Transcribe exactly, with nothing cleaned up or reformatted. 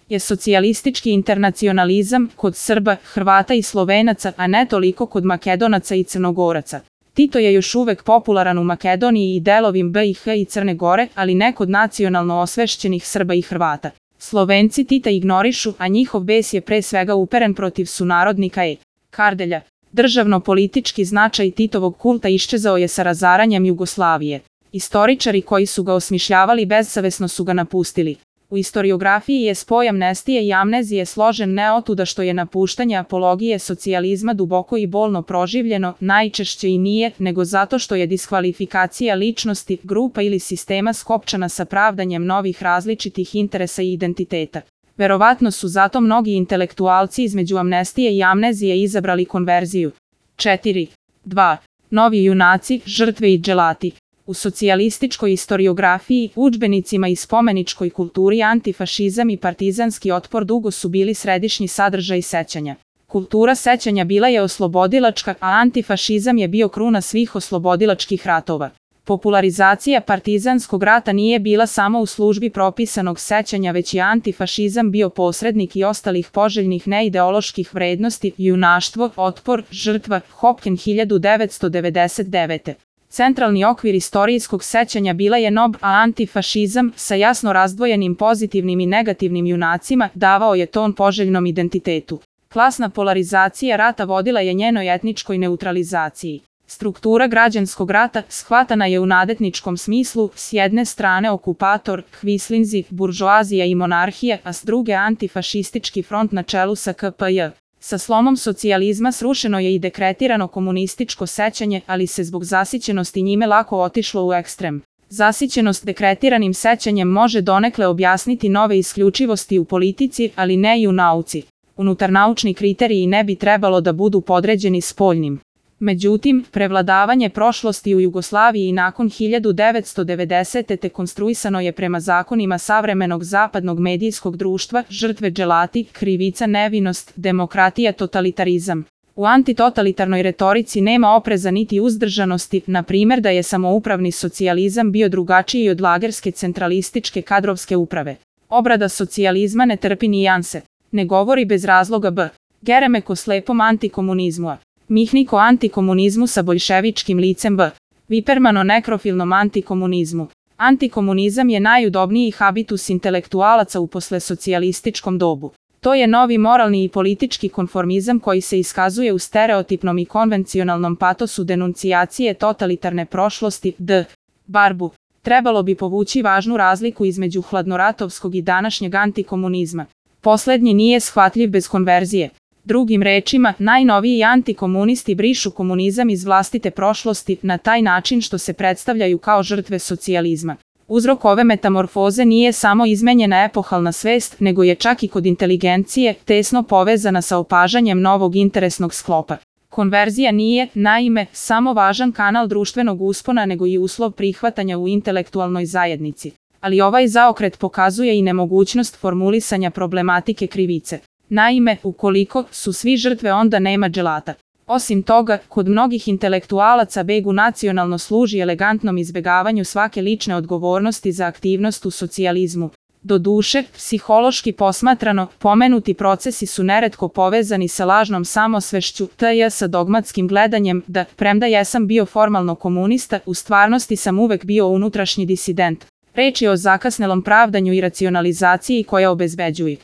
je socijalistički internacionalizam kod Srba, Hrvata i Slovenaca, a ne toliko kod Makedonaca i Crnogoraca. Tito je još uvek popularan u Makedoniji i delovim B i H i Crne Gore, ali ne kod nacionalno osvešćenih Srba i Hrvata. Slovenci Tita ignorišu, a njihov bes je pre svega uperen protiv sunarodnika E. Kardelja. Državno-politički značaj Titovog kulta iščezao je sa razaranjem Jugoslavije. Istoričari koji su ga osmišljavali bezsavesno su ga napustili. U istoriografiji je spoj amnestije i amnezije složen ne otuda što je napuštanje apologije socijalizma duboko i bolno proživljeno, najčešće i nije, nego zato što je diskvalifikacija ličnosti, grupa ili sistema skopčana sa pravdanjem novih različitih interesa i identiteta. Verovatno su zato mnogi intelektualci između amnestije i amnezije izabrali konverziju. četiri. dva. Novi junaci, žrtve i dželati. U socijalističkoj istoriografiji, udžbenicima i spomeničkoj kulturi antifašizam i partizanski otpor dugo su bili središnji sadržaj sećanja. Kultura sećanja bila je oslobodilačka, a antifašizam je bio kruna svih oslobodilačkih ratova. Popularizacija partizanskog rata nije bila samo u službi propisanog sećanja, već je antifašizam bio posrednik i ostalih poželjnih neideoloških vrednosti, junaštvo, otpor, žrtva, Hopken hiljadu devetsto devedeset devete. Centralni okvir istorijskog sećanja bila je N O B, a antifašizam, sa jasno razdvojenim pozitivnim i negativnim junacima, davao je ton poželjnom identitetu. Klasna polarizacija rata vodila je njenoj etničkoj neutralizaciji. Struktura građanskog rata shvatana je u nadetničkom smislu, s jedne strane okupator, hvislinzi, buržoazija i monarhija, a s druge antifašistički front na čelu sa K P J. Sa slomom socijalizma srušeno je i dekretirano komunističko sećanje, ali se zbog zasićenosti njime lako otišlo u ekstrem. Zasićenost dekretiranim sećanjem može donekle objasniti nove isključivosti u politici, ali ne i u nauci. Unutarnaučni kriteriji ne bi trebalo da budu podređeni spoljnim. Međutim, prevladavanje prošlosti u Jugoslaviji nakon hiljadu devetsto devedesete. te konstruisano je prema zakonima savremenog zapadnog medijskog društva, žrtve dželati, krivica nevinost, demokratija totalitarizam. U antitotalitarnoj retorici nema opreza niti uzdržanosti, na primjer da je samoupravni socijalizam bio drugačiji od lagerske centralističke kadrovske uprave. Obrada socijalizma ne trpi nijanse. Ne govori bez razloga B. Geremek o slepom antikomunizmu. Mihnik o antikomunizmu sa boljševičkim licem B. Viperman o nekrofilnom antikomunizmu. Antikomunizam je najudobniji habitus intelektualaca u poslesocijalističkom dobu. To je novi moralni i politički konformizam koji se iskazuje u stereotipnom i konvencionalnom patosu denuncijacije totalitarne prošlosti D. Barbu. Trebalo bi povući važnu razliku između hladnoratovskog i današnjeg antikomunizma. Poslednji nije shvatljiv bez konverzije. Drugim rečima, najnoviji antikomunisti brišu komunizam iz vlastite prošlosti na taj način što se predstavljaju kao žrtve socijalizma. Uzrok ove metamorfoze nije samo izmenjena epohalna svest, nego je čak i kod inteligencije tesno povezana sa opažanjem novog interesnog sklopa. Konverzija nije, naime, samo važan kanal društvenog uspona, nego i uslov prihvatanja u intelektualnoj zajednici. Ali ovaj zaokret pokazuje i nemogućnost formulisanja problematike krivice. Naime, ukoliko su svi žrtve, onda nema dželata. Osim toga, kod mnogih intelektualaca begu nacionalno služi elegantnom izbegavanju svake lične odgovornosti za aktivnost u socijalizmu. Doduše, psihološki posmatrano, pomenuti procesi su neretko povezani sa lažnom samosvešću, tj. sa dogmatskim gledanjem da, premda jesam bio formalno komunista, u stvarnosti sam uvek bio unutrašnji disident. Reč je o zakasnelom pravdanju i racionalizaciji koja obezbeđuje